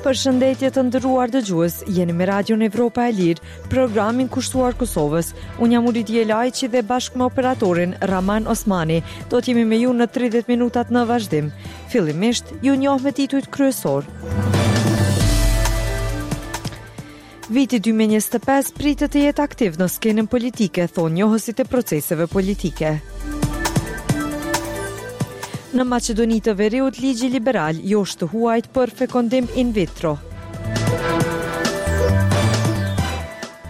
Përshëndetje të nderuar dëgjues, jeni me Radion Evropa e Lirë, programin kushtuar Kosovës. Unë jam Uridije Lajçi dhe bashkë me operatorin Raman Osmani, do të jemi me ju në 30 minutat në vazhdim. Fillimisht, ju njoh me titujt kryesorë. Viti 2025 pritet të jetë aktiv në skenën politike, thonë njohësit e proceseve politike. Në Maqedoni të Veriut, ligji liberal josh të huajt për fekondim in vitro.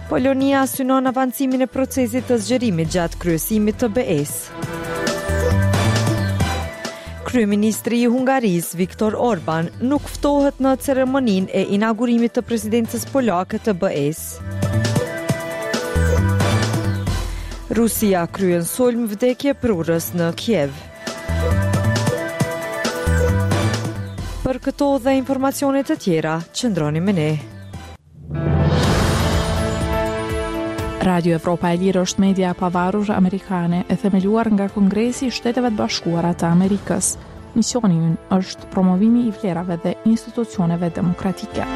Polonia synon avancimin e procesit të zgjerimit gjatë kryesimit të BE-së. Kryeministri i Hungarisë, Viktor Orban, nuk ftohet në ceremoninë e inaugurimit të presidencës polake të BE-së. Rusia kryen sulm vdekjeprurës në Kiev. Për këto dhe informacione të tjera, qëndroni me ne. Radio Evropa e Lirë është media e pavarur amerikane e themeluar nga Kongresi i Shteteve të Bashkuara të Amerikës. Misioni ynë është promovimi i vlerave dhe institucioneve demokratike.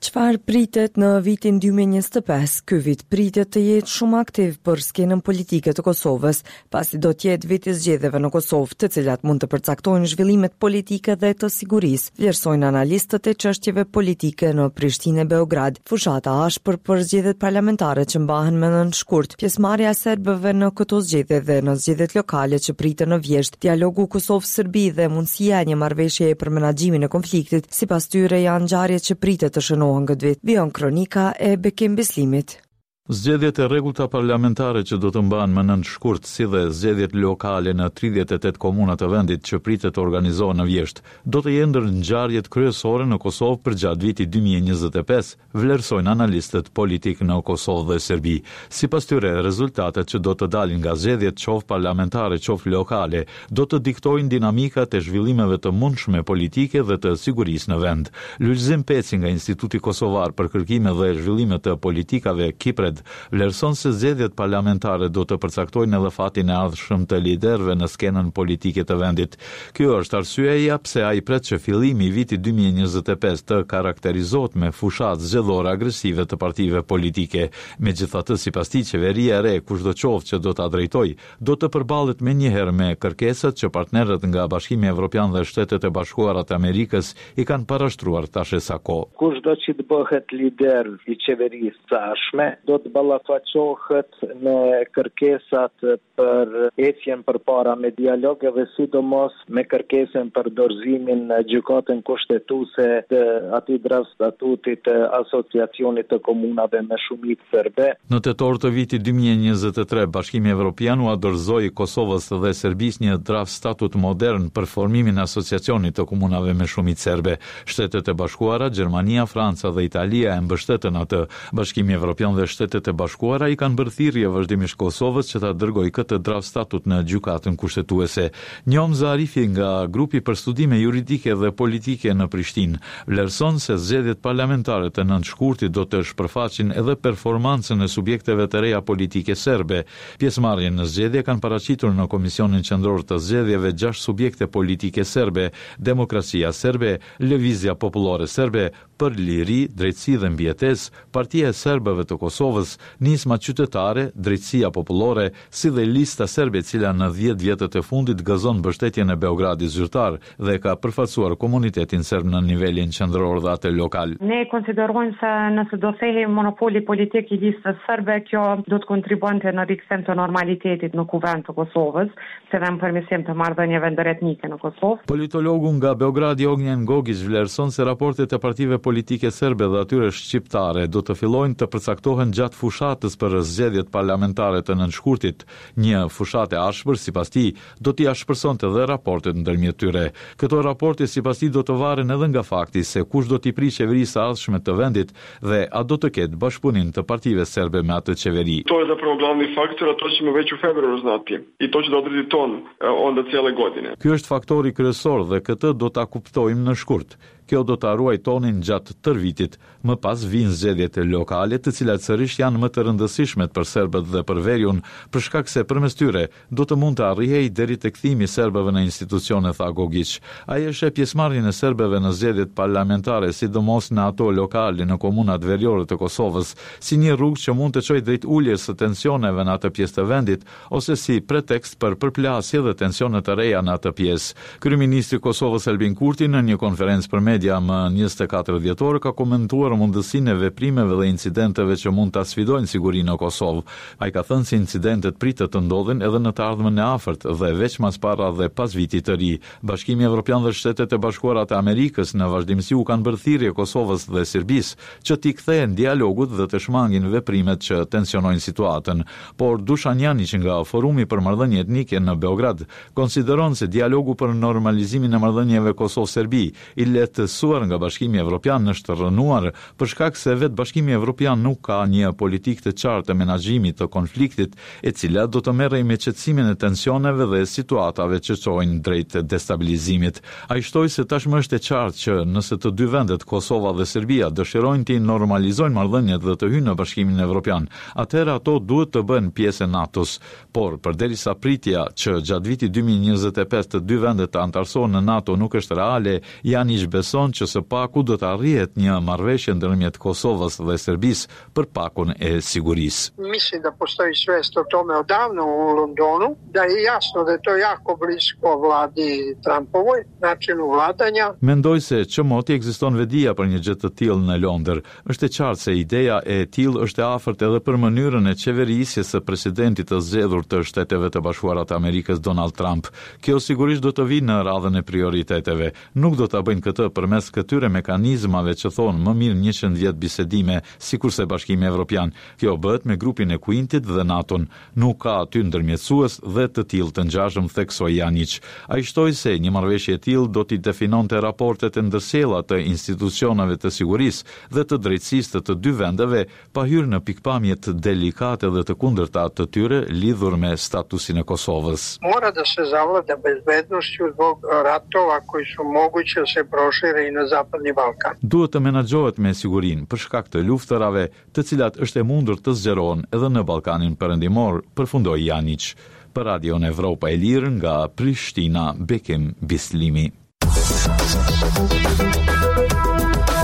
Çfarë pritet në vitin 2025? Ky vit pritet të jetë shumë aktiv për skenën politike të Kosovës, pasi do të jetë vit i zgjedhjeve në Kosovë, të cilat mund të përcaktojnë zhvillimet politike dhe të sigurisë, vlerësojnë analistët e çështjeve politike në Prishtinë e Beograd. Fushata e ashpër për zgjedhjet parlamentare që mbahen më 9 shkurt, pjesëmarrja e serbëve në këto zgjedhje dhe në zgjedhjet lokale që priten në vjeshtë, dialogu Kosovë-Serbi dhe mundësia e një marrëveshjeje për menaxhimin e konfliktit, sipas tyre janë ngjarje që pritet të shënohen këtë vit, vijon kronika e Bekim Bislimit. Zgjedhjet e rregullta parlamentare që do të mbahen më 9 shkurt, si dhe zgjedhjet lokale në 38 komuna të vendit që pritet të organizohen në vjeshtë, do të jenë ndër ngjarjet kryesore në Kosovë përgjatë vitit 2025, vlerësojnë analistët politikë në Kosovë dhe Serbi. Sipas tyre, rezultatet që do të dalin nga zgjedhjet qoftë parlamentare qoftë lokale, do të diktojnë dinamikat e zhvillimeve të mundshme politike dhe të sigurisë në vend. Lulzim Peci nga Instituti Kosovar për Kërkime dhe Zhvillime të Politikave, KIPRED, vlerëson se zgjedhjet parlamentare do të përcaktojnë edhe fatin e ardhshëm të liderëve në skenën politike të vendit. Kjo është arsyeja pse ai pret që fillimi i vitit 2025 të karakterizohet me fushatë zgjedhore agresive të partive politike. Megjithatë, sipas tij, qeveria e re, kushdo qoftë që do ta drejtojë, do të përballet menjëherë me kërkesat që partnerët nga Bashkimi Evropian dhe Shtetet e Bashkuara të Amerikës i kanë parashtruar tash e sa kohë. Kushdo që të bëhet lider i qeverisë së ardhshme, do të ballafaqohet me kërkesat për ecjen përpara me dialog edhe sidomos me kërkesën për dorëzimin në Gjykatën Kushtetuese të atij draft statutit të Asociacionit të Komunave me shumicë serbe. Në tetor të vitit 2023, Bashkimi Evropian ua dorëzoi Kosovës dhe Serbisë një draft statut modern për formimin e Asociacionit të Komunave me shumicë serbe. Shtetet e Bashkuara, Gjermania, Franca dhe Italia e mbështetën atë. Bashkimi Evropian dhe Shtetet e Bashkuara i kanë bërë thirrje vazhdimisht Kosovës që ta dërgojë këtë draft statut në Gjykatën Kushtetuese. Njomza Arifi nga Grupi për Studime Juridike dhe Politike në Prishtinë, vlerëson se zgjedhjet parlamentare të 9 shkurtit do të shpërfaqin edhe performancën e subjekteve të reja politike serbe. Pjesëmarrjen në zgjedhje kanë paraqitur në Komisionin Qendror të Zgjedhjeve 6 subjekte politike serbe, Demokracia Serbe, Lëvizja Popullore Serbe, Për Liri, Drejtësi dhe Mbijetesë, Partia e Serbëve të Kosovës, Nisma Qytetare, Drejtësia Popullore, si dhe Lista Serbe e cila në 10 vjetët e fundit gëzon mbështetjen e Beogradit zyrtar dhe ka përfaqësuar komunitetin serb në nivelin qendror dhe atë lokal. Ne konsiderojmë se nëse do thehej monopoli politik i Listës Serbe, kjo do të kontribuonte në rikthim të normalitetit në Kuvend të Kosovës, si dhe në përmirësim të marrëdhënieve ndëretnike në Kosovë. Politologu nga Beogradi Ognjen Gogiq vlerëson se raportet e partive politike serbe dhe atyre shqiptare do të fillojnë të përcaktohen gjatë fushatës për zgjedhjet parlamentare të 9 shkurtit. Një fushatë e ashpër, sipas tij, do t'i ashpërsonte dhe raportet ndërmjet tyre. Këto raporte, sipas tij, do të varen edhe nga fakti se kush do t'i prijë qeverisë së ardhshme të vendit dhe a do të ketë bashkëpunim të partive serbe me atë qeveri. To je zapravo glavni faktor, a to ćemo već u februaru znati i to će da odredi ton onda cijele godine. Ky është faktori kryesor dhe këtë do ta kuptojmë në shkurt. Kjo do ta ruajë tonin gjatë tërë vitit. Më pas vijnë zgjedhjet lokale, të cilat sërish janë më të rëndësishmet për serbët dhe për veriun, për shkak se përmes tyre do të mund të arrihej deri te kthimi i serbëve në institucione, tha Gogiq. Ai e sheh pjesëmarrjen e serbëve në zgjedhjet parlamentare, sidomos në ato lokale në komunat veriore të Kosovës, si një rrugë që mund të çojë drejt uljes së tensioneve në atë pjesë të vendit, ose si pretekst për përplasje dhe tensione të reja në atë pjesë. Kryeministri i Kosovës Albin Kurti në një konferencë për media më 24 dhjetor ka komentuar mundësinë e veprimeve dhe incidenteve që mund ta sfidojnë sigurinë në Kosovë. Ai ka thënë se incidentet pritet të ndodhin edhe në të ardhmen e afërt dhe veçmas para dhe pas vitit të ri. Bashkimi Evropian dhe Shtetet e Bashkuara të Amerikës në vazhdimësi u kanë bërë thirrje Kosovës dhe Serbisë që t'i kthehen dialogut dhe të shmangin veprimet që tensionojnë situatën. Por Dushan Janjiq nga Forumi për Marrëdhënie Etnike në Beograd konsideron se dialogu për normalizimin e marrëdhënieve Kosovë-Serbi i lehtësuar nga Bashkimi Evropian është rrënuar për shkak se vetë Bashkimi Evropian nuk ka një politikë të qartë të menaxhimit të konfliktit, e cila do të merrej me qetësimin e tensioneve dhe situatave që çojnë drejt destabilizimit. Ai shtoi se tashmë është e qartë që nëse të dy vendet, Kosova dhe Serbia, dëshirojnë t'i normalizojnë marrëdhëniet dhe të hyjnë në Bashkimin Evropian, atëherë ato duhet të bëhen pjesë e NATO-s. Por, përderisa pritja që gjatë vitit 2025 të dy vendet të anëtarësohen në NATO nuk është reale, Janjiq beson që së paku do të arrihet një marrëveshje ndërmjet Kosovës dhe Serbisë për pakon e sigurisë. Mislim da postoji svest o tome odavno u Londonu, da je jasno da je to jako blisko vladi Trumpovoj, načinu vladanja. Mendoj se që moti ekziston vetëdija për një gjë të tillë në Londër. Është e qartë se ideja e tillë është e afërt edhe për mënyrën e qeverisjes së presidentit të zgjedhur të Shteteve të Bashkuara të Amerikës, Donald Trump. Kjo sigurisht do të vijë në radhën e prioriteteve. Nuk do ta bëjnë këtë përmes këtyre mekanizmave që thonë më mirë 100 vjet bisedime, sikurse Bashkimi Evropian. Kjo bëhet me grupin e Quintit dhe NATO-n. Nuk ka aty ndërmjetësues dhe të tillë të ngjashëm, theksoi Janjiq. Ai shtoi se një marrëveshje e tillë do t'i definonte raportet e ndërsjella të institucioneve të sigurisë dhe të drejtësisë të të dy vendeve, pa hyrë në pikëpamjet delikate dhe të kundërta të tyre lidhur me statusin e Kosovës. Mora da se zavlada bezbednošću zbog ratova koji su moguće da se prošire i na Zapadni Balkan. Duhet të menaxhohet me sigurinë për shkak të luftërave, të cilat është e mundur të zgjerohen edhe në Ballkanin Perëndimor, përfundoi Janjiq. Për Radion Evropa e Lirë nga Prishtina, Bekim Bislimi.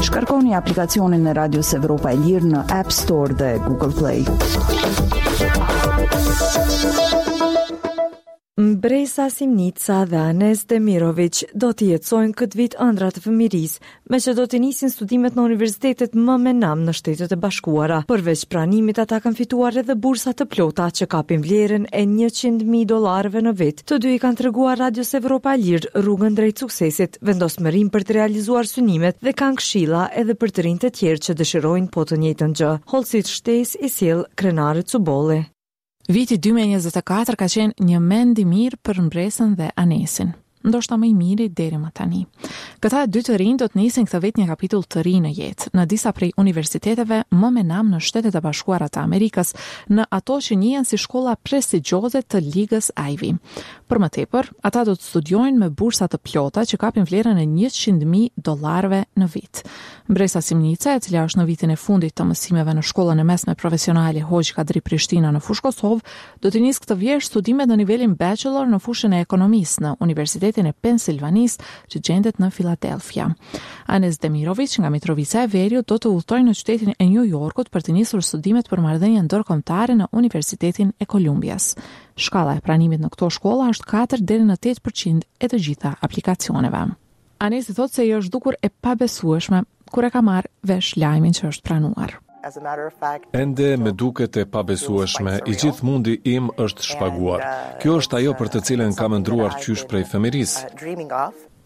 Shkarkoni aplikacionin e Radios Evropa e Lirë në App Store dhe Google Play. Mbresa Simnica dhe Anes Demiroviq do t'i jetësojnë këtë vit ëndrrat e fëmijërisë, meqë do t'i nisin studimet në universitetet më me nam në Shtetet e Bashkuara. Përveç pranimit, ata kanë fituar edhe bursa të plota që kapin vlerën e 100.000 dollarëve në vit. Të dy i kanë treguar Radios Evropa e Lirë rrugën drejt suksesit, vendosmërinë për të realizuar synimet dhe kanë këshilla edhe për të rinjtë e tjerë që dëshirojnë po të njëjtën gjë. Hollësitë shtesë i sjell Krenare Cubolli. Viti 2024 ka qenë një mend i mirë për Mbresën dhe Anesin. Ndoshta më i miri deri më tani. Këta dy të rinj do të nisin këtë vit një kapitull të ri në jetë, në disa prej universiteteve më me nam në Shtetet e Bashkuara të Amerikës, në ato që njihen si shkolla prestigjioze të Ligës Ivy. Për më tepër, ata do të studiojnë me bursa të plota që kapin vlerën e 100.000 dollarëve në vit. Mbresa Simnica, e cila është në vitin e fundit të mësimeve në shkollën e mesme profesionale Hoxhë Kadri Prishtina në Fushë Kosovë, do t'i nisë këtë vjeshtë studimet në nivelin bachelor në fushën e ekonomisë në Universitetin e Pensilvanisë, që gjendet në Philadelphia. Anes Demiroviq nga Mitrovica e Veriut do të udhëtojë në qytetin e New Yorkut për të nisur studimet për marrëdhënie ndërkombëtare në Universitetin e Kolumbias. Shkalla e pranimit në këto shkolla është 4 deri në 8% e të gjitha aplikacioneve. Anesi thotë se i është dukur e pabesueshme kur e ka marrë vesh lajmin që është pranuar. Ende më duket e pabesueshme, i gjithë mundi im është shpaguar. Kjo është ajo për të cilën kam ëndërruar qysh prej fëmijërisë.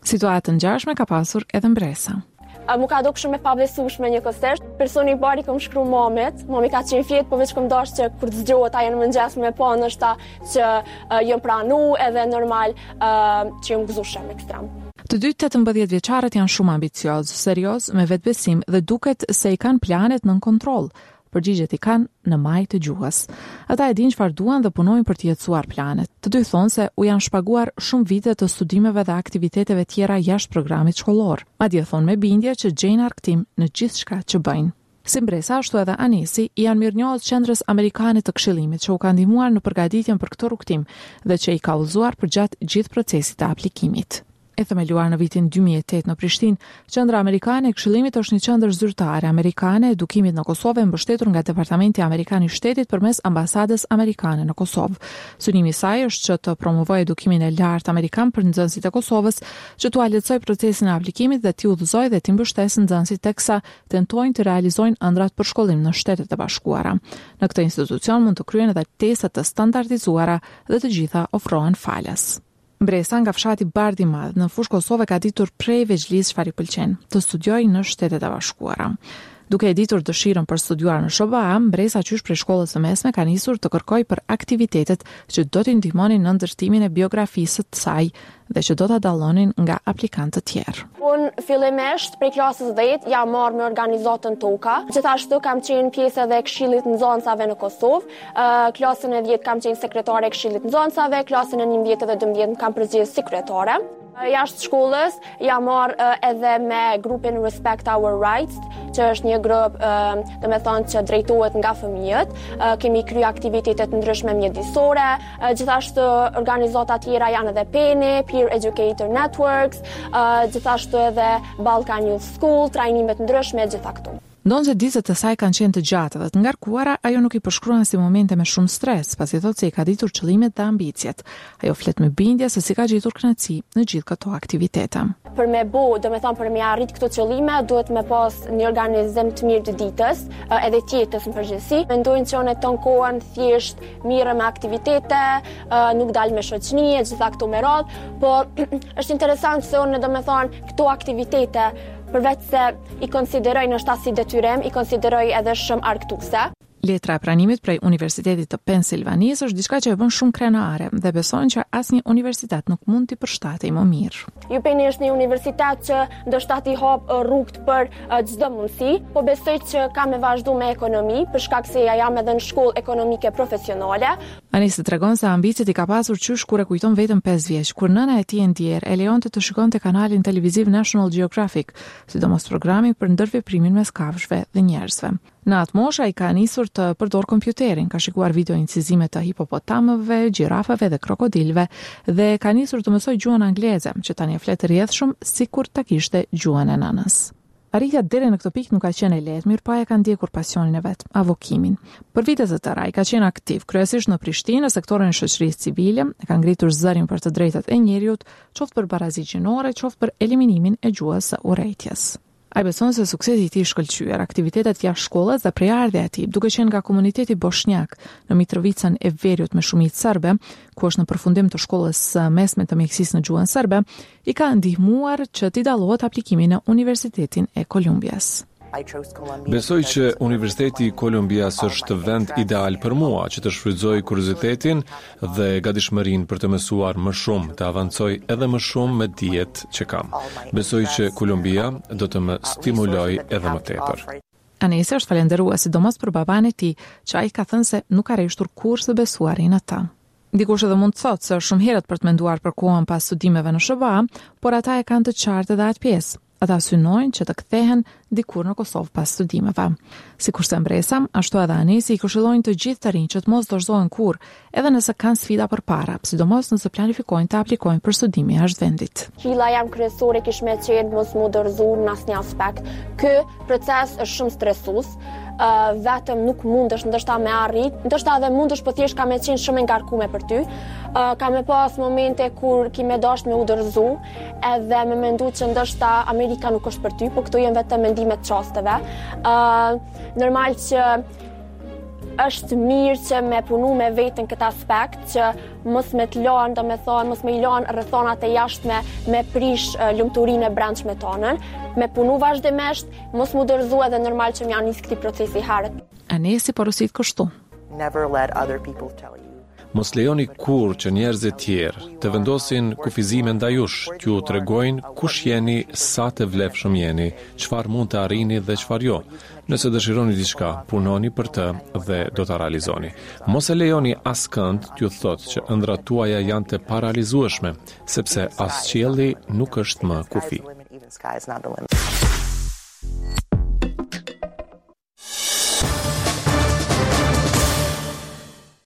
Situatë të ngjashme ka pasur edhe Mbresa. Mu ka dok shumë e pabesueshme njëkohësisht. Personi i parë i kom shkru mamit, mami ka qenë fjet, po veç kom dashtë që kur të zgjohet ajo në mëngjes me pa ndoshta që uh, jom pranu edhe normal uh, që jom gëzu shumë ekstrem. Të dy 18 vjeçarët janë shumë ambiciozë, seriozë, me vetëbesim dhe duket se i kanë planet nën kontroll. Përgjigjet i kanë në majë të gjuhës. Ata e dinë çfarë duan dhe punojnë për t'i jetësuar planet. Të dy thonë se u janë shpaguar shumë vite të studimeve dhe aktiviteteve tjera jashtë programit shkollor. Madje thonë me bindje që gjejnë argëtim në gjithçka që bëjnë. Si Mbresa ashtu edhe Anesi i janë mirënjohës Qendrës Amerikane të Këshillimit që u ka ndihmuar në përgatitjen për këtë rrugëtim dhe që i ka udhëzuar përgjatë gjithë procesit të aplikimit. E themeluar në vitin 2008 në Prishtinë, Qendra Amerikane e Këshillimit është një qendër zyrtare amerikane e edukimit në Kosovë e mbështetur nga Departamenti Amerikan i Shtetit përmes Ambasadës Amerikane në Kosovë. Synimi i saj është që të promovojë edukimin e lartë amerikan për nxënësit e Kosovës, që t'ua lehtësojë procesin e aplikimit dhe t'i udhëzojë dhe t'i mbështesë nxënësit teksa tentojnë të realizojnë ëndrrat për shkollim në Shtetet e Bashkuara. Në këtë institucion mund të kryhen edhe teste të standardizuara dhe të gjitha ofrohen falas. Mbresa nga fshati Bardh i Madh në Fushë Kosovë e ka ditur prej vegjëlisë çfarë i pëlqen, të studiojë në Shtetet e Bashkuara. Duke e ditur dëshirën për studiuar në SHBA, Mbresa qysh prej shkollës së mesme ka nisur të kërkojë për aktivitetet që do t'i ndihmonin në ndërtimin e biografisë së saj dhe që do ta dallonin nga aplikantë të tjerë. Unë fillimisht prej klasës 10 jam marrë me organizatën Toka. Gjithashtu kam qenë pjesë edhe e Këshillit Nxënësave në Kosovë. Klasën e 10 kam qenë sekretare e Këshillit Nxënësave, klasën e 11 dhe 12 më kanë përzgjedhur si kryetare. Jashtë shkollës jam marrë edhe me grupin Respect Our Rights, që është një grup, domethonë që drejtohet nga fëmijët. Kemi kry aktivitete të ndryshme mjedisore, gjithashtu organizata tjera janë edhe PENI, Peer Educator Networks, gjithashtu edhe Balkan Youth School, trajnime të ndryshme, gjitha këto. Ndonëse ditët e saj kanë qenë të gjata dhe të ngarkuara, ajo nuk i përshkruan si momente me shumë stres, pasi thotë se i ka ditur qëllimet dhe ambiciet. Ajo flet me bindje se si ka gjetur kënaqësi në gjithë këto aktivitete. Për me bo, domethonë për me arrit këto qëllime, duhet me pas një organizim të mirë të ditës, edhe të jetës në përgjithësi. Mendojnë që unë tonë kohën thjesht mirrem me aktivitete, nuk dal me shoqni, e gjitha këto me radhë, po është interesant se unë, domethonë, këto aktivitete, përveç se i konsideroj ndoshta si detyrim, i konsideroj edhe shumë argëtuese. Letra e pranimit prej Universitetit të Pensilvanisë është diçka që e bën shumë krenare dhe beson që asnjë universitet nuk mund t'i përshtatej më mirë. UPenn është një universitet që ndoshta t'i hap rrugët për çdo mundësi, po besoj që kam me vazhdu me ekonomi, për shkak se ja jam edhe në shkollë ekonomike profesionale. Anesi tregon se ambiciet i ka pasur qysh kur e kujton veten 5 vjeç, kur nëna e tij e ndjerë e lejonte të shikonte kanalin televiziv National Geographic, sidomos programin për ndërveprimin mes kafshëve dhe njerëzve. Në atë moshë ai ka nisur të përdorë kompjuterin, ka shikuar video incizime të hipopotamëve, gjirafave dhe krokodilëve dhe ka nisur të mësojë gjuhën angleze, që tani e flet rrjedhshëm sikur ta kishte gjuhën e nënës. Arritja deri në këtë pikë nuk ka qenë e lehtë, mirëpo ai e ka ndjekur pasionin e vet, avokimin. Për vite të tëra ai ka qenë aktiv, kryesisht në Prishtinë, në sektorin e shoqërisë civile, e ka ngritur zërin për të drejtat e njeriut, qoftë për barazi gjinore, qoftë për eliminimin e gjuhës së urrejtjes. Ai beson se suksesi i tij i shkëlqyer, aktivitetet jashtë shkollës dhe prejardhja e tij, duke qenë nga komuniteti boshnjak në Mitrovicën e Veriut me shumicë serbe, ku është në përfundim të shkollës së mesme të mjekësisë në gjuhën serbe, i ka ndihmuar që t'i dallohet aplikimi në Universitetin e Kolumbias. Besoj që Universiteti i Kolumbias është vend ideal për mua që të shfrytëzoj kuriozitetin dhe gatishmërinë për të mësuar më shumë, të avancoj edhe më shumë me dijet që kam. Besoj që Kolumbia do të më stimulojë edhe më tepër. Anesi është falënderues sidomos për babanë e tij, që ai ka thënë se nuk ka reshtur kurrë së besuari në të. Dikush edhe mund të thotë se është shumë herët për të menduar për kohën pas studimeve në SHBA, por ata e kanë të qartë edhe atë pjesë. Ata synojnë që të kthehen dikur në Kosovë pas studimeve. Sikurse Mbresa, ashtu edhe Anesi i këshillojnë të gjithë të rinjtë që të mos dorëzohen kurrë, edhe nëse kanë sfida përpara, sidomos nëse planifikojnë të aplikojnë për studime jashtë vendit. Këshilla jem kryesore kish me qenë mos m'u dorëzu në asnjë aspekt. Ky proces është shumë stresues, uh, vetëm nuk mundesh ndoshta me arrit, ndoshta edhe mundesh, po thjesht ka me qenë shumë e ngarkume për ty. Uh, ka me pas momente kur ki me dasht me u dorëzu, edhe me mendu që ndoshta Amerika nuk është për ty, po këto janë vetëm mendime të çasteve. Uh, normal që është mirë që me punu me veten këtë aspekt, që mos me të lanë, domethonë, mos me i lanë rrethonat e jashtme me prish lumturinë e brendshme tonën, me punu vazhdimisht, Mos m'u dorëzu edhe normal që m'ja nis këtij procesi herët. Anesi porosit kështu. Never let other people tell you. Mos lejoni kurrë që njerëzit tjerë të vendosin kufizime ndaj jush, t'ju tregojnë kush jeni, sa të vlefshëm jeni, çfarë mund të arrini dhe çfarë jo. Nëse dëshironi diçka, punoni për të dhe do ta realizoni. Mos e lejoni askënd t'ju thotë që ëndrrat tuaja janë të parealizueshme, sepse as qielli nuk është më kufi.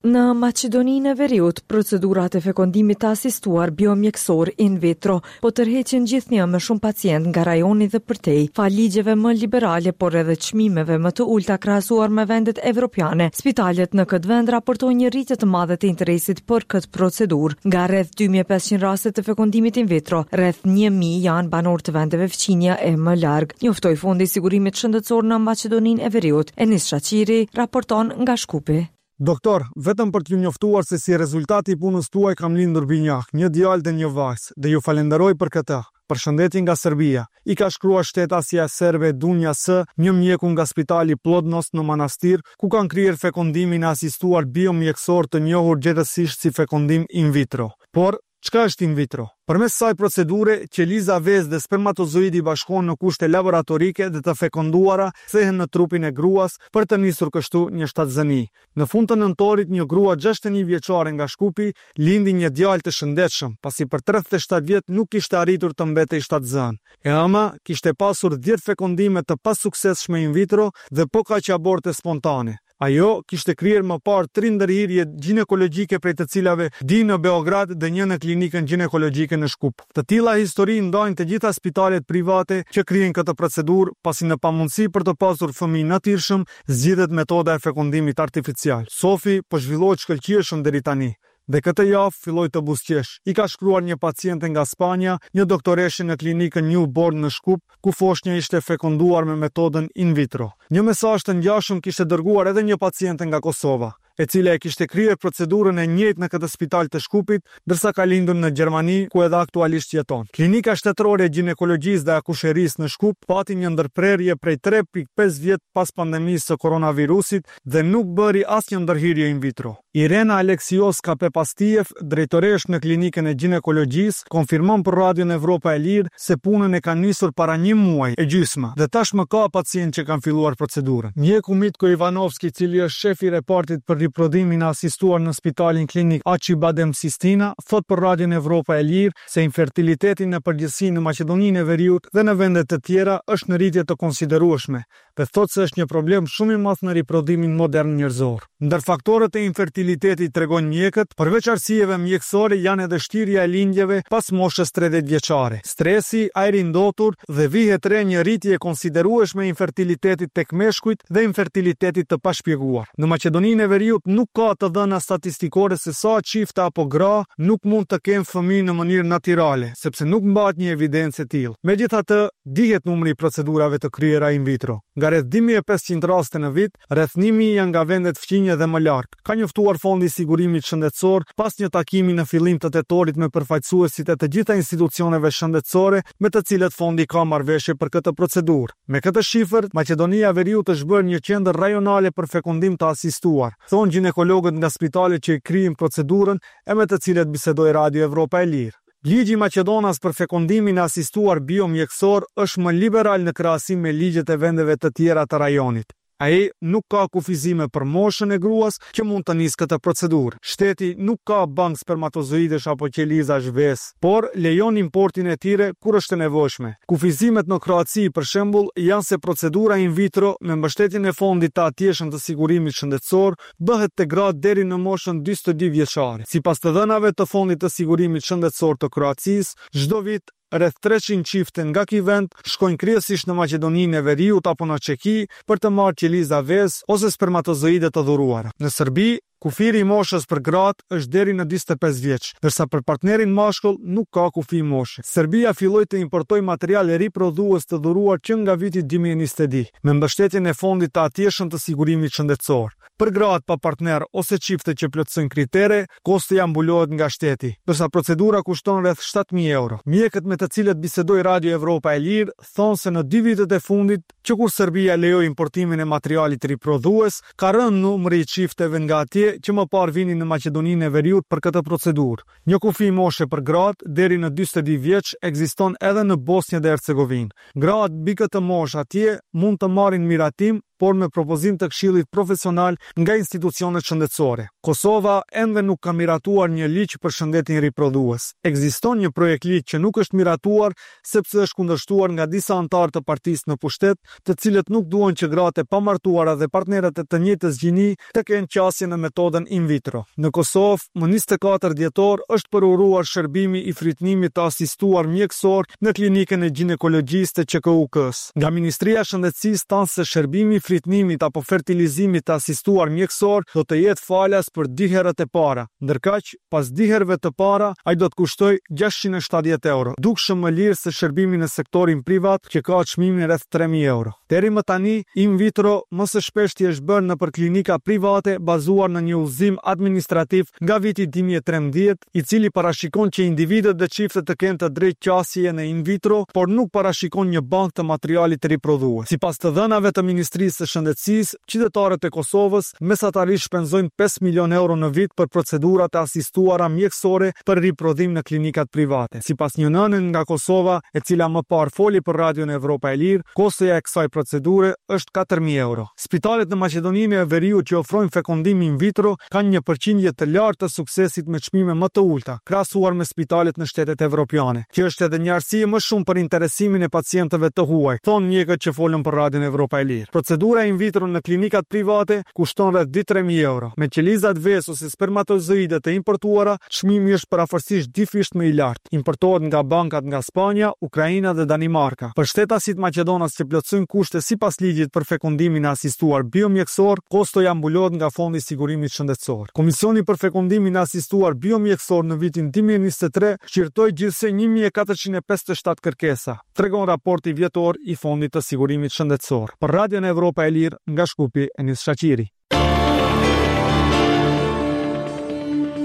Në Maqedoninë e Veriut, procedurat e fekondimit të asistuar biomjekësor in vitro po tërheqin gjithnjë më shumë pacientë nga rajoni dhe përtej, falë ligjeve më liberale, por edhe çmimeve më të ulëta krahasuar me vendet evropiane. Spitalet në këtë vend raportojnë një rritje të madhe të interesit për këtë procedurë. Nga rreth 2500 raste të fekondimit in vitro, rreth 1000 janë banorë të vendeve fqinje e më larg, njoftoi Fondi i Sigurimit Shëndetësor në Maqedoninë e Veriut. Enis Shaqiri raporton nga Shkupi. Doktor, vetëm për t'ju njoftuar se si rezultat i punës tuaj kam lindur binjakë, një djalë dhe një vajzë, dhe ju falenderoj për këtë. Përshëndetje nga Serbia, i ka shkruar shtetasja serbe Dunja S, një mjeku nga spitali Plodnost në Manastir, ku kanë kryer fekondimin e asistuar biomjekësor të njohur gjerësisht si fekondim in vitro. Por, Çka është in vitro? Përmes kësaj procedure, qeliza vezë dhe spermatozoidi bashkohen në kushte laboratorike dhe të fekonduara kthehen në trupin e gruas për të nisur kështu një shtatzëni. Në fund të nëntorit, një grua 61 vjeçare nga Shkupi lindi një djalë të shëndetshëm, pasi për 37 vjet nuk kishte arritur të mbetej shtatzënë. E ëma kishte pasur 10 fekondime të pasuksesshme in vitro dhe po kaq aborte spontane. Ajo kishte kryer më parë tri ndërhyrje gjinekologjike prej të cilave dy në Beograd dhe një në klinikën gjinekologjike në Shkup. Të tilla histori ndajnë të gjitha spitalet private që kryejnë këtë procedurë, pasi në pamundësi për të pasur fëmijë natyrshëm, zgjidhet metoda e fekondimit artificial. Sofi po zhvillohet shkëlqyeshëm deri tani. Dhe këtë javë filloi të buzëqeshë, i ka shkruar një paciente nga Spanja, një doktoreshë në klinikën New Born në Shkup, ku foshnja ishte fekonduar me metodën in vitro. Një mesazh të ngjashëm kishte dërguar edhe një paciente nga Kosova, e cila e kishte kryer procedurën e njëjtë në këtë spital të Shkupit, ndërsa ka lindur në Gjermani, ku edhe aktualisht jeton. Klinika Shtetërore e Gjinekologjisë dhe Akusherisë në Shkup pati një ndërprerje prej 3.5 vjet pas pandemisë së koronavirusit dhe nuk bëri asnjë ndërhyrje in vitro. Irena Aleksioska Pepastiev, drejtoreshë në Klinikën e Gjinekologjisë, konfirmon për Radion Evropa e Lirë se punën e kanë nisur para një muaj e gjysmë dhe tashmë ka pacientë që kanë filluar procedurën. Mjeku Mitko Ivanovski, i cili është shef i repartit për riprodhimin e asistuar në Spitalin Klinik Acibadem Sistina, thotë për Radion Evropa e Lirë se infertiliteti në përgjithësi në Maqedoninë e Veriut dhe në vende të tjera është në rritje të konsiderueshme dhe thotë se është një problem shumë i madh në riprodhimin modern njerëzor. Ndër faktorët e infertilitetit, tregojnë mjekët, përveç arsyeve mjekësore janë edhe shtyrja e lindjeve pas moshës 30 vjeçare, stresi, ajri i ndotur dhe vihet re një rritje e konsiderueshme e infertilitetit tek meshkujt dhe infertilitetit të pashpjeguar. Në Maqedoninë e Veriut nuk ka të dhëna statistikore se sa çifte apo gra nuk mund të kenë fëmijë në mënyrë natyrale, sepse nuk mbahet një evidencë e tillë. Megjithatë, Dihet numri i procedurave të kryera in vitro. Nga rreth 2500 raste në vit, rreth 1000 janë nga vendet fqinje dhe më larg, ka njoftuar Fondi i Sigurimit Shëndetësor pas një takimi në fillim të tetorit me përfaqësuesit e të gjitha institucioneve shëndetësore me të cilët fondi ka marrëveshje për këtë procedurë. Me këtë shifër, Maqedonia e Veriut është bërë një qendër rajonale për fekondim të asistuar, thonë gjinekologët nga spitalet që e kryejnë procedurën e me të cilët bisedoi Radio Evropa e Lirë. Ligji maqedonas për fekondimin e asistuar biomjekësor është më liberal në krahasim me ligjet e vendeve të tjera të rajonit. Ai nuk ka kufizime për moshën e gruas që mund të nisë këtë procedurë. Shteti nuk ka bankë spermatozoidesh apo qelizash vezë, por lejon importin e tyre kur është e nevojshme. Kufizimet në Kroaci, për shembull, janë se procedura in vitro me mbështetjen e fondit të atjeshëm të sigurimit shëndetësor bëhet te gratë deri në moshën 42 vjeçare. Sipas të dhënave të Fondit të Sigurimit Shëndetësor të Kroacisë, çdo vit rreth 300 çifte nga ky vend shkojnë kryesisht në Maqedoninë e Veriut apo në Çeki për të marrë qeliza vezë ose spermatozoide të dhuruara. Në Serbi, kufiri i moshës për gratë është deri në 45 vjeç, ndërsa për partnerin mashkull nuk ka kufi moshe. Serbia filloi të importojë material riprodhues të dhuruar që nga viti 2022, me mbështetjen e Fondit të atjeshëm të Sigurimit Shëndetësor. Për gratë pa partner ose çifte që plotësojnë kritere, kostoja mbulohet nga shteti, ndërsa procedura kushton rreth 7000 euro. Mjekët me të cilët bisedoi Radio Evropa e Lirë thonë se në dy vitet e fundit, që kur Serbia lejoi importimin e materialit riprodhues, ka rënë numri i çifteve nga atje. familje që më parë vinin në Maqedoninë e Veriut për këtë procedurë. Një kufi moshe për gratë deri në 42 vjeç ekziston edhe në Bosnjë dhe Hercegovinë. Gratë mbi këtë moshë atje mund të marrin miratim, por me propozim të Këshillit Profesional nga institucionet shëndetësore. Kosova ende nuk ka miratuar një ligj për shëndetin riprodhues. Ekziston një projektligj që nuk është miratuar sepse është kundërshtuar nga disa anëtarë të partisë në pushtet, të cilët nuk duan që gratë e pamartuara dhe partnerët e të njëjtës gjini të kenë qasje në metodën in vitro. Në Kosovë, më 24 dhjetor është përuruar shërbimi i frytnimit të asistuar mjekësor në klinikën e gjinekologjisë të QKUK-së. Nga Ministria e Shëndetësisë thanë se shërbimi i frytnimit apo fertilizimit të asistuar mjekësor do të jetë falas për dy herët e para. Ndërkaq, Pas dy herëve të para, ai do të kushtojë 670 euro, dukshëm më lirë se shërbimi në sektorin privat që ka çmimin rreth 3000 euro. Deri më tani, in vitro më së shpeshti është bërë nëpër klinika private bazuar në një udhëzim administrativ nga viti 2013, i cili parashikon që individët dhe çiftet të kenë të drejtë qasjeje në in vitro, por nuk parashikon një bankë të materialit riprodhues. Sipas të dhënave të Ministrisë së Shëndetësisë, Qytetarët e Kosovës mesatarisht shpenzojnë 5 milionë euro në vit për procedurat e asistuara mjekësore për riprodhim në klinikat private. Sipas një nëne nga Kosova, e cila më parë foli për Radion Evropa e Lirë, kostoja e kësaj procedure është 4000 euro. Spitalet në Maqedoninë e Veriut që ofrojnë fekondim in vitro kanë një përqindje të lartë të suksesit me çmime më të ulëta, krahasuar me spitalet në shtetet evropiane. Kjo është edhe një arsye më shumë për interesimin e pacientëve të huaj, thonë mjekët që folën për Radion Evropa e Lirë. Procedura in vitro në klinikat private kushton rreth 2-3 mijë euro. Me qelizat vezë ose spermatozoide të importuara, çmimi është përafërsisht dyfish më i lartë. Importohet nga bankat nga Spanja, Ukraina dhe Danimarka. Për shtetasit maqedonas që plotësojnë kushte sipas ligjit për fekondimin e asistuar biomjekësor, kostoja mbulohet nga Fondi i Sigurimit Shëndetësor. Komisioni për fekondimin e asistuar biomjekësor në vitin 2023 shqyrtoi gjithsej 1457 kërkesa, tregon raporti vjetor i Fondit të Sigurimit Shëndetësor. Për Radion Evropa e Lirë, nga Shkupi, Enis Shaqiri.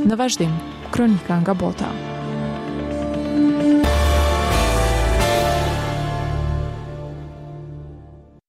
Në vazhdim, kronika nga bota.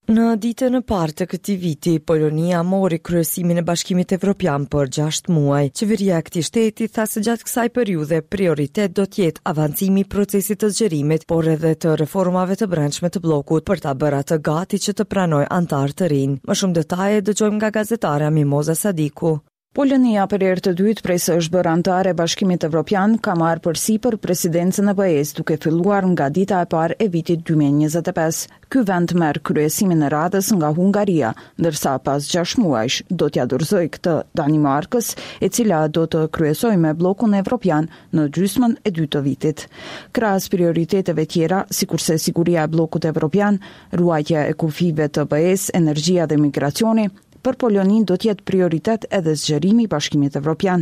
Në ditën e parë të këtij viti, Polonia mori kryesimin e Bashkimit Evropian për 6 muaj. Qeveria e këtij shteti tha se gjatë kësaj periudhe prioritet do të jetë avancimi i procesit të zgjerimit, por edhe të reformave të brendshme të bllokut për ta bërë atë gati që të pranojë anëtarë të rinj. Më shumë detaje dëgjojmë nga gazetarja Mimoza Sadiku. Polonia për herë të dytë prej se është bërë anëtare e Bashkimit Evropian ka marrë përsipër presidencën e BE-së duke filluar nga dita e parë e vitit 2025. Ky vend merr kryesimin e radhës nga Hungaria, ndërsa pas 6 muajsh do t'ia dorëzojë këtë Danimarkës, e cila do të kryesojë me bllokun evropian në gjysmën e dytë të vitit. Krahas prioriteteve tjera, sikurse siguria e bllokut evropian, ruajtja e kufijve të BE-së, energjia dhe migracioni, Për Poloninë do të jetë prioritet edhe zgjerimi i Bashkimit Evropian.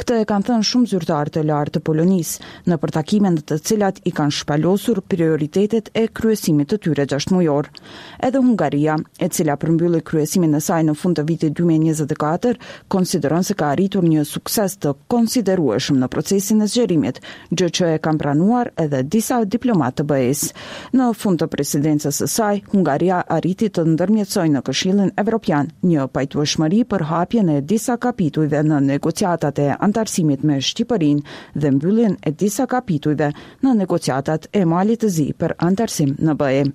Këtë e kanë thënë shumë zyrtarë të lartë të Polonisë, nëpër takime në të cilat i kanë shpalosur prioritetet e kryesimit të tyre gjashtëmujor. Edhe Hungaria, e cila përmbylli kryesimin e saj në fund të vitit 2024, konsideron se ka arritur një sukses të konsiderueshëm në procesin e zgjerimit, gjë që e kanë pranuar edhe disa diplomatë të BE-së. Në fund të presidencës së saj, Hungaria arriti të ndërmjetësojë në Këshillin Evropian një pajtueshmëri për hapjen e disa kapitujve në negociatat e anëtarësimit me Shqipërinë dhe mbylljen e disa kapitujve në negociatat e Malit të Zi për anëtarësim në BE.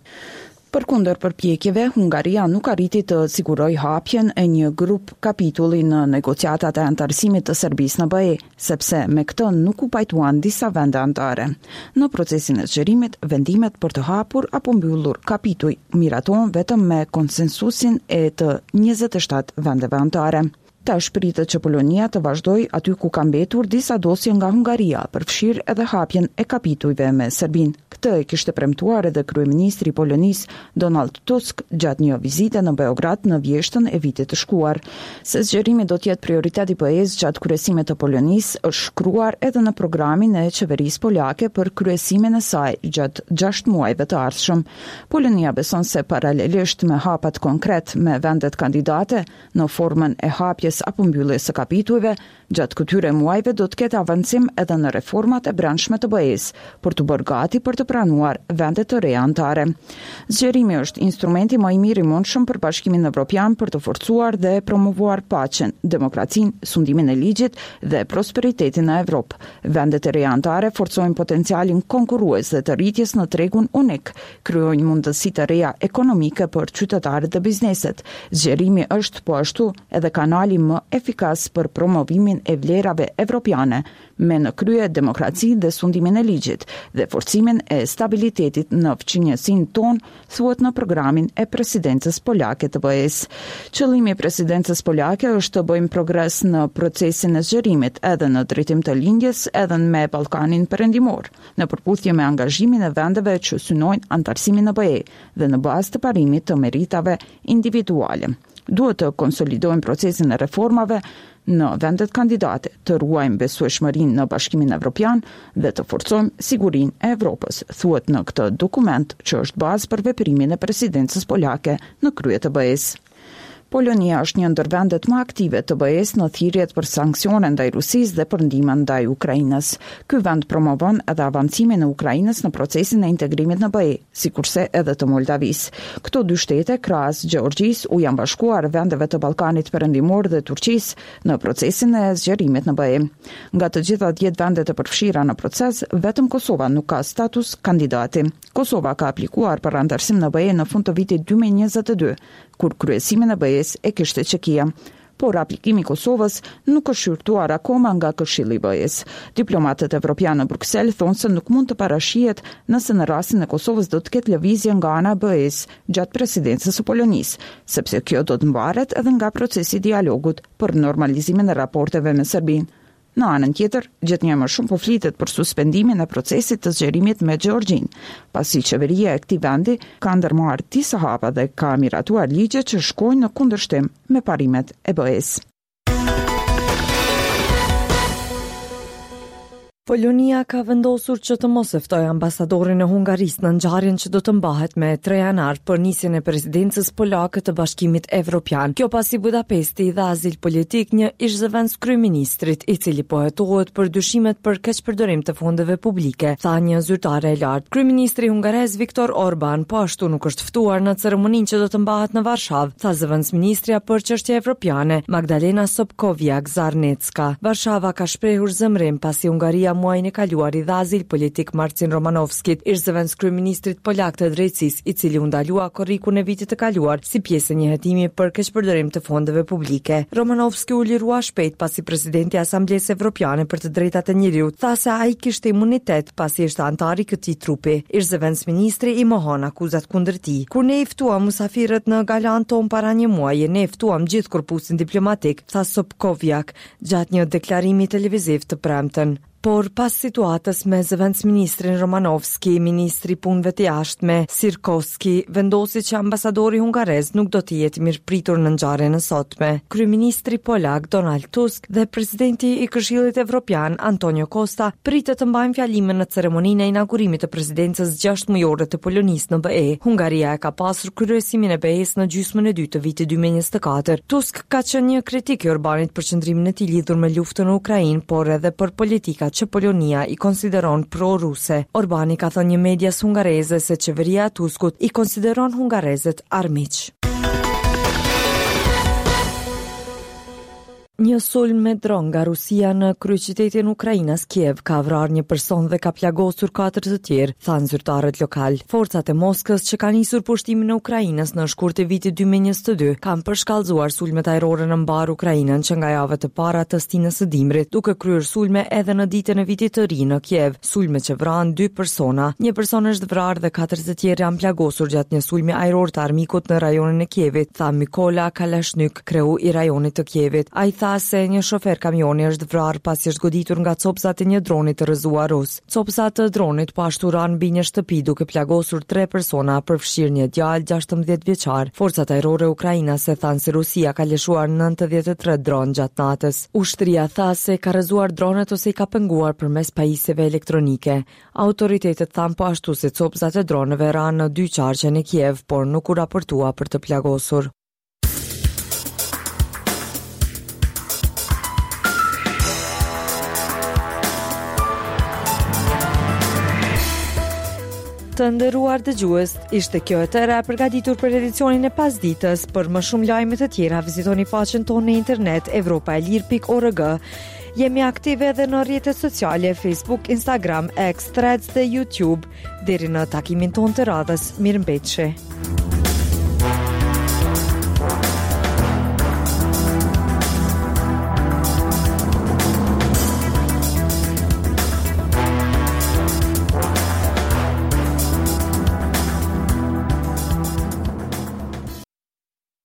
Përkundër përpjekjeve, Hungaria nuk arriti të sigurojë hapjen e një grup kapitulli në negociatat e anëtarësimit të Serbisë në BE, sepse me këtë nuk u pajtuan disa vende anëtare. Në procesin e zgjerimit, vendimet për të hapur apo mbyllur kapituj miratohen vetëm me konsensusin e të 27 vendeve anëtare. Tash pritet që Polonia të vazhdojë aty ku ka mbetur disa dosje nga Hungaria, përfshirë edhe hapjen e kapitujve me Serbinë. Këtë e kishte premtuar edhe kryeministri i Polonisë, Donald Tusk, gjatë një vizite në Beograd në vjeshtën e vitit të shkuar. Se zgjerimi do të jetë prioritet i BE-së gjatë kryesimit të Polonisë, është shkruar edhe në programin e qeverisë polake për kryesimin e saj gjatë 6 muajve të ardhshëm. Polonia beson se paralelisht me hapat konkret me vendet kandidate, në formën e hapjes. hapjes apo mbylljes së kapitujve, gjatë këtyre muajve do të ketë avancim edhe në reformat e brendshme të BE-së, për t'u bërë gati për të pranuar vende të reja anëtare. Zgjerimi është instrumenti më i mirë i mundshëm për Bashkimin Evropian për të forcuar dhe promovuar paqen, demokracinë, sundimin e ligjit dhe prosperitetin në Evropë. Vendet e reja anëtare forcojnë potencialin konkurrues dhe të rritjes në tregun unik, krijojnë mundësi të reja ekonomike për qytetarët dhe bizneset. Zgjerimi është, po ashtu, edhe kanali më efikas për promovimin e vlerave evropiane, me në krye demokracinë dhe sundimin e ligjit dhe forcimin e stabilitetit në fqinjësinë tonë, thuhet në programin e presidencës polake të BE-së. Qëllimi i presidencës polake është të bëjmë progres në procesin e zgjerimit edhe në drejtim të lindjes edhe me Ballkanin Perëndimor, në përputhje me angazhimin e vendeve që synojnë anëtarësimin në BE dhe në bazë të parimit të meritave individuale. Duhet të konsolidojmë procesin e reformave në vendet kandidate, të ruajmë besueshmërinë në Bashkimin Evropian dhe të forcojmë sigurinë e Evropës, thuhet në këtë dokument që është bazë për veprimin e presidencës polake në krye të BE-së. Polonia është një ndër vendet më aktive të BE-së në thirrjet për sanksione ndaj Rusisë dhe për ndihmë ndaj Ukrainës. Ky vend promovon edhe avancimin e Ukrainës në procesin e integrimit në BE, sikurse edhe të Moldavisë. Këto dy shtete, krahas Gjeorgjisë, u janë bashkuar vendeve të Ballkanit Perëndimor dhe Turqisë në procesin e zgjerimit në BE. Nga të gjitha dhjetë vendet e përfshira në proces, vetëm Kosova nuk ka status kandidati. Kosova ka aplikuar për anëtarësim në BE në fund të vitit 2022, kur kryesimin e BE-së e kishte Çekia. Por aplikimi i Kosovës nuk është shqyrtuar akoma nga Këshilli i BE-së. Diplomatët evropianë në Bruksel thonë se nuk mund të parashihet nëse në rastin e Kosovës do të ketë lëvizje nga ana e BE-së gjatë presidencës së Polonisë, sepse kjo do të mvaret edhe nga procesi i dialogut për normalizimin e raporteve me Serbinë. Në anën tjetër, gjithnjë e më shumë po flitet për suspendimin e procesit të zgjerimit me Gjeorgjinë, pasi qeveria e këtij vendi ka ndërmarrë disa hapa dhe ka miratuar ligje që shkojnë në kundërshtim me parimet e BE-së. Polonia ka vendosur që të mos e ftojë ambasadorin e Hungarisë në ngjarjen që do të mbahet me 3 janar për nisjen e presidencës polake të Bashkimit Evropian. Kjo pasi Budapesti i dha azil politik një ish-zëvendëskryeministrit, i cili po hetohet për dyshimet për keqpërdorim të fondeve publike, tha një zyrtare e lartë. Kryeministri hungarez Viktor Orban po ashtu nuk është ftuar në ceremoninë që do të mbahet në Varshavë, tha zëvendësministrja për çështje evropiane, Magdalena Sobkowiak-Zarnecka. Ska. Varshava ka shprehur zemërim pasi Hungaria muajin e kaluar i dha azil politik Marcin Romanovskit, ish-zëvendëskryeministrit polak të Drejtësisë, i cili u ndalua korrikun e vitit të kaluar si pjesë e një hetimi për keqpërdorim të fondeve publike. Romanovski u lirua shpejt pasi presidenti i Asamblesë Evropiane për të Drejtat e Njeriut tha se ai kishte imunitet pasi ishte anëtar i këtij trupi. Ish-zëvendësministri i mohon akuzat kundër tij. Kur ne i ftuam musafirët në galanë tonë para një muaji, ne ftuam gjithë korpusin diplomatik, tha Sobkowiak gjatë një deklarimi televiziv të premten. Por pas situatës me zëvendësministrin Romanovski, ministri i Punëve të Jashtme, Sikorski, vendosi që ambasadori hungarez nuk do të jetë i mirëpritur në ngjarjen e sotme. Kryeministri polak Donald Tusk dhe presidenti i Këshillit Evropian Antonio Costa pritet të mbajnë fjalime në ceremoninë e inaugurimit të presidencës gjashtëmujore të Polonisë në BE. Hungaria e ka pasur kryesimin e BE-së në gjysmën e dytë të vitit 2024. Tusk ka qenë një kritik i Orbanit për qëndrimin e tij lidhur me luftën në Ukrainë, por edhe për politikat që Polonia i konsideron pro-ruse. Orbani ka thënë një medias hungareze se qeveria e Tuskut i konsideron hungarezët armiq. Një sulm me dron nga Rusia në kryeqytetin ukrainas Kiev ka vrarë një person dhe ka plagosur katër të tjerë, thanë zyrtarët lokalë. Forcat e Moskës që kanë nisur pushtimin e Ukrainës në shkurt të vitit 2022 kanë përshkallëzuar sulmet ajrore në mbarë Ukrainën që nga javët e para të stinës së dimrit, duke kryer sulme edhe në ditën e vitit të ri në Kiev, sulme që vranë dy persona. Një person është vrarë dhe katër të tjerë janë plagosur gjatë një sulmi ajror të armikut në rajonin e Kievit, tha Mykola Kalashnyk. Kreu i rajonit të Kievit. Ai tha se një shofer kamioni është vrarë pasi është goditur nga copëzat e një droni të rrëzuar rus. Copëza të dronit po ashtu ranë mbi një shtëpi duke plagosur tre persona, përfshirë një djalë 16 vjeçar. Forcat ajrore ukrainase thanë se Rusia ka lëshuar 93 dronë gjatë natës. Ushtria tha se ka rrëzuar dronët ose i ka penguar përmes pajisjeve elektronike. Autoritetet thanë po ashtu se copëzat e dronëve ranë në dy qarqe në Kiev, por nuk u raportua për të plagosur. Të nderuar dëgjues, ishte kjo e tëra e përgatitur për edicionin e pasditës. Për më shumë lajme të tjera, vizitoni faqen tonë në internet evropaelire.org. Jemi aktive edhe në rrjetet sociale Facebook, Instagram, X, Threads dhe YouTube. Deri në takimin tonë të radhës, mirëmbetshi.